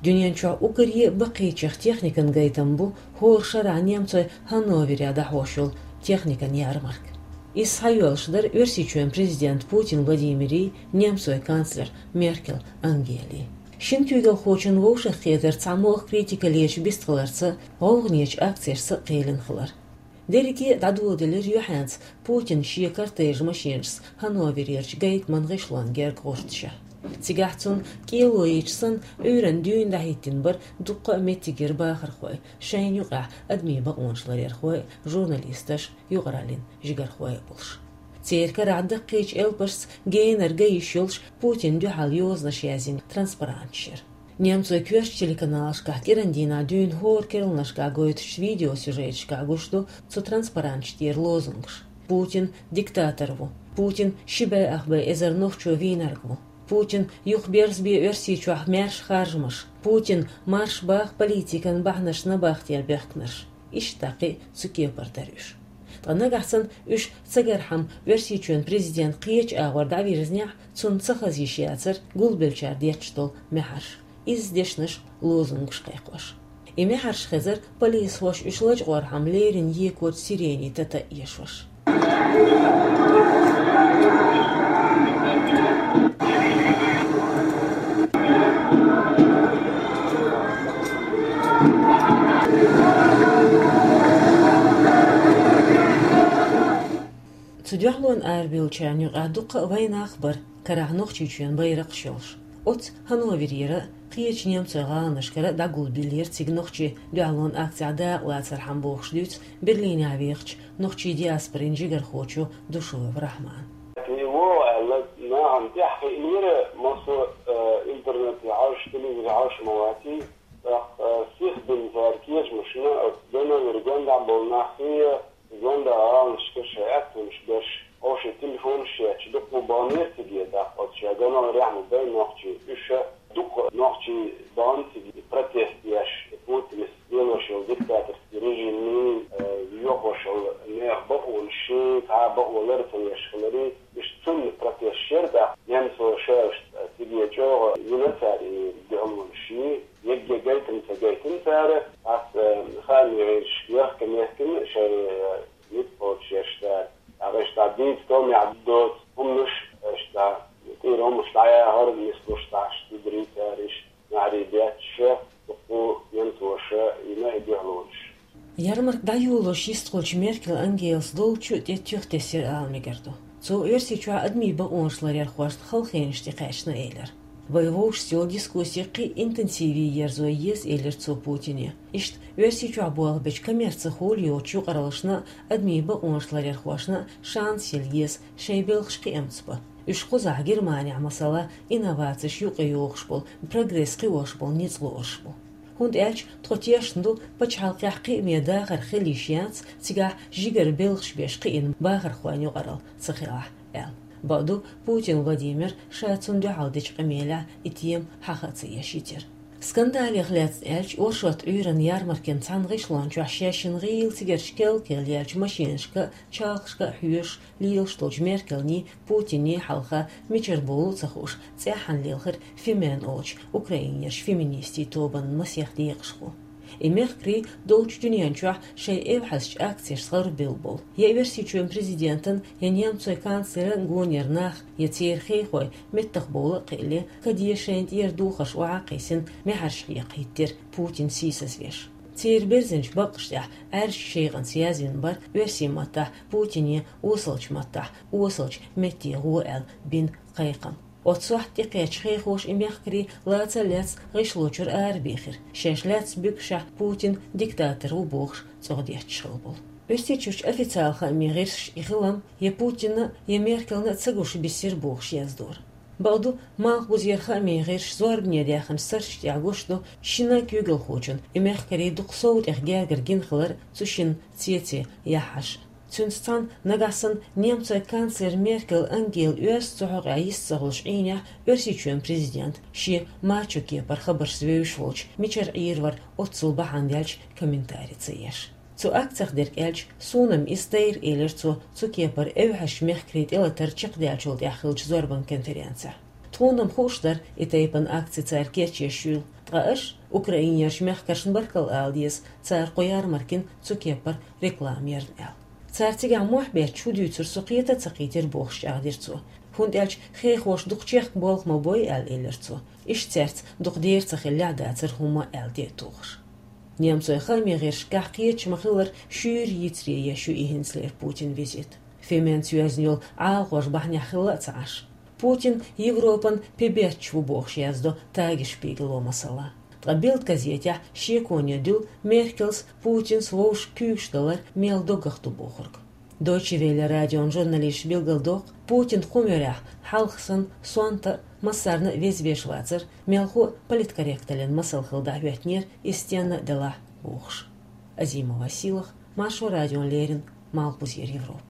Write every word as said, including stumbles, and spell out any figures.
Дуьнен чохь уггаре а баккхийчех техникан гайтам бу хӀора шарахь немцойн Ханноверехь дӀахьош йолу техникан ярмарка. Иза схьайоьллуш дара Оьрсийчоьнан президент Путин Владимирий, немцойн канцлер Меркел Ангелий. Шина куьйгалхочун вовшахкхетар цхьамогӀа критикалечу бистхиларца, гӀовгӀанечу акцешца а кхелина хилар. Дерриге а дӀадоладелира юьхьанца Путин шен кортежан машенашца Ханноверерчу гайтаман гӀишлон герга гӀурташехь. Цигахь цунна кӀело йича санна Ӏуьйранна дуьйна дӀахӀиттина бара дуккха а меттигера бахархой, шайна юкъахь адамийн бакъонаш ларъярхой а, журналисташ а, юкъараллин жигархой а болуш. Церан карахь даккхийчу элпашца генара ган йиш йолуш Путинна дуьхьал йозанаш язйина транспаранташ яра. Немцойн коьртачу телеканалашкахь кӀиран дийнахь дуьйна хӀора керланашкахь гойтучу видеосюжеташкахь гуш ду цу транспаранташ тӀера лозунгаш: «Путин диктатор ву», «Путин ши бӀе ах бӀе эзар нохчо вийнарг ву», «Путин юхаберзабе Оьрсийчохь маьрша харжамаш», «Путин марш баха политикан бахьанаш набахтел бехкнарш». Иштта даккхий цу кепара дара уьш. Ткъа нагахь санна уьш цагара хьама Оьрсийчоьнан президент кхечу агӀор дӀавирзинехь, цунна ца хаза йиш яцара гулбеллачара детташ долу маьхьарш. Изза дешнаш, лозунгаш кхайкхош. И маьхьарш хезара полисхоша уьш лачкъор хьама леррина екочу сиренийн тата а эшош. Цу дуьхьалонна арабевллачарна юкъахь дуккха а вайнах а бара, карахь Нохчийчоьнан байракхаш йолуш. Оццу Ханноверера а, кхечу немцойн гӀаланашкара а дӀагулбеллера цига нохчий дуьхьалонан акцехь дакъалацархьама бохуш дуьйцу Берлинехь вехачу нохчийн диаспорин жигархочо Душуев Рахьмана. Тхо вогӀу аьлла, нахана тӀаьхьахиънера массо а, э, интернете хьовсуш, телевизоре хьовсуш ма ваций. ТӀаккха, э, сихдина цара кечамашна оцу Ганновер гондахь болу нах, и Гондара гӀаланашкара шайн аьттонаш берш, хӀокху шайн телефонаш етташ, дуккха а баханера цига, тӀаккха оцу шайн Ганноверехь ма бай нохчий. Уьш дуккха а нохчий бахана цига протест еш, Путинас лелош йолу диктаторский режимний, э, йохош йолу нехан бакъонаш, шайн цхьа а бакъо лар ца еш хиларе. Уьш цунна протест яра, тӀаккха немцоша уьш цига чӀогӀа йина цара и дуьхьалонаш. Егге гайтина ца гайтина цара, ас, э, хаамийн гӀирсашка яхка мехкина шайн, э, ницкъ кхочушъеш цара. Ткъа иштта дийца томехь доцу хӀуманаш, иштта тӀера хӀуманаш дӀаяхьар, нислуш дӀахьаш ца дарий цара, иштта маьхьарий бетташ, дуккха а немцоша йина и дуьхьалонаш. Ярмарка дӀайолош йистхуьлучу Меркел Ангелас долчу тӀе туьха тесира ала мегар ду. Цо Оьрсийчохь адамийн бакъонаш ларъярхошна халахенаш тӀекхаьчна элира. Вай вовшашца йолу дискусси кхин а интенсиве ерзо еза, элира цо Путине. Иштта Оьрсийчохь болх бечу коммерци хуьлу йоцучу юкъараллашна а, адамийн бакъонаш ларъярхошна а шанс яла еза шайн белхаш кхиамца бан. Уьш кхузахь, Германехь, масала, инновацеш юкъайохуш болу, прогресс кхиош болу ницкъ лоруш бу. ХӀунда аьлча тхо тешна ду, пачхьалкхехь кхиаме дахар хила йиш яц, цигахь жигара белхаш беш кхиъна бахархойн юкъаралла ца хилахь, аьлла. Бакъду, Путин Владимир ша цунна дуьхьал дечу къамелехь и тема хьаха а ца еш йитира. Скандалех лаьцна аьлча, оршот Ӏуьйранна ярмаркин цхьана гӀишлон чохь шаьшшинна гӀийла цигарчу кел-кел яьллачу машенашка а, чалхашка а хьоьжуш лелаш долчу Меркелний, Путинний хьалха мичара бовлу а ца хууш, цӀеххьана лелхира «Фемен» олучу Украинерчу феминистийн тобанан масех декъашхо. И мехкарий долчу дуьнен чохь шайн эвхьазчу акцешца гӀарабевлла болу, я Оьрсийчоьнан президентан, я немцойн канцлеран гонера нах, я церан хехой меттахбовла а кхиале, каде шайна тӀера духарш охьа а кхиссина, маьхьарш хьекха хӀиттира Путин сийсазвеш. Церан берзинчу баккъаш тӀехь Ӏаьржачу шекъанца язвина бара оьрсийн маттахь Путине осалчу маттахь «осалчу метте гӀо» аьлла бина кхайкхам. Оццу сохьта тӀекхаьчча хехоша и мехкарий лаца а лаьцна гӀишло чуьра арабехира, шаьш лаьцна буьгашехь Путин диктатор ву бохуш цӀогӀа детташ хилла болу. Оьрсийчуьрчу официалан хаамийн гӀирсаша и хилам я Путинна, я Меркелна ца гуш бисира бохуш яздора. Бакъду, малхбузера хаамийн гӀирсаша зорбане даьхначу сарчашна тӀехь гуш ду шина куьйгалхочун и мехкарий дукха сов тӀех гергара гина хилар цу шинна цецен яххьаш. Цуьнца цхьаьна нагахь санна немцойн канцлер Меркел Ангела оьзда цу хьокъехь йист ца хуьлуш Ӏийнехь, Оьрсийчоьнан президент шен мачо кепара хабаршца вевзаш волчу мичара Ӏийр вара оццул бахьана даьлча комментари ца еш. Цу акцех дерг аьлча, суна-м иза тайра, элира цо цу кепара эвхьазчу мехкарийн тӀелатар чекхдаьллачул тӀаьхьа хиллачу зорбан конференцехь. Тхона-м хууш дар, и тайпан акци цар кечъеш ю. Ткъа аш Украинерча мехкаршна баркал ала деза, цар кху ярмаркин цу кеппара реклама ярна аьлла. Цар цигахь мохь бетташ хӀу дуьйцур со кхета а ца кхийтира бохуш чӀагӀдира цо. ХӀунда аьлча хехоша дукха чехка болх ма бой аьлла элира цо. Иштта цаьрца дукха дера ца хиллехь дацара хӀумма аьлла де а тухуш. Немцойн хааман гӀирсашкахь кхеташ ма-хиллара шуьйра йицъян еш ю и хӀинцалера Путин визит. Феменца йоьзна йолу Ӏалашонаш бахьанехь хилла а ца Ӏаш. Путин Европан пе бетташ ву бохуш яздо Тагеспигело масала. Ткъа Билд газетехь шеконе дуьллу Меркелс, Путинс вовшашка куьйгаш далар мел доггах ду бохург. Дойче Велле радион журналисташа билгалдоккху, Путин кху муьрехь хьалха санна сонта а, массарна а веза веш вацара, мелхо а политкорректаллин масал хилла дӀахӀоьттинера иза стенна а делахь бохуш. Азимова Силах, Маршо радиона леррина, Малхбузера Европа.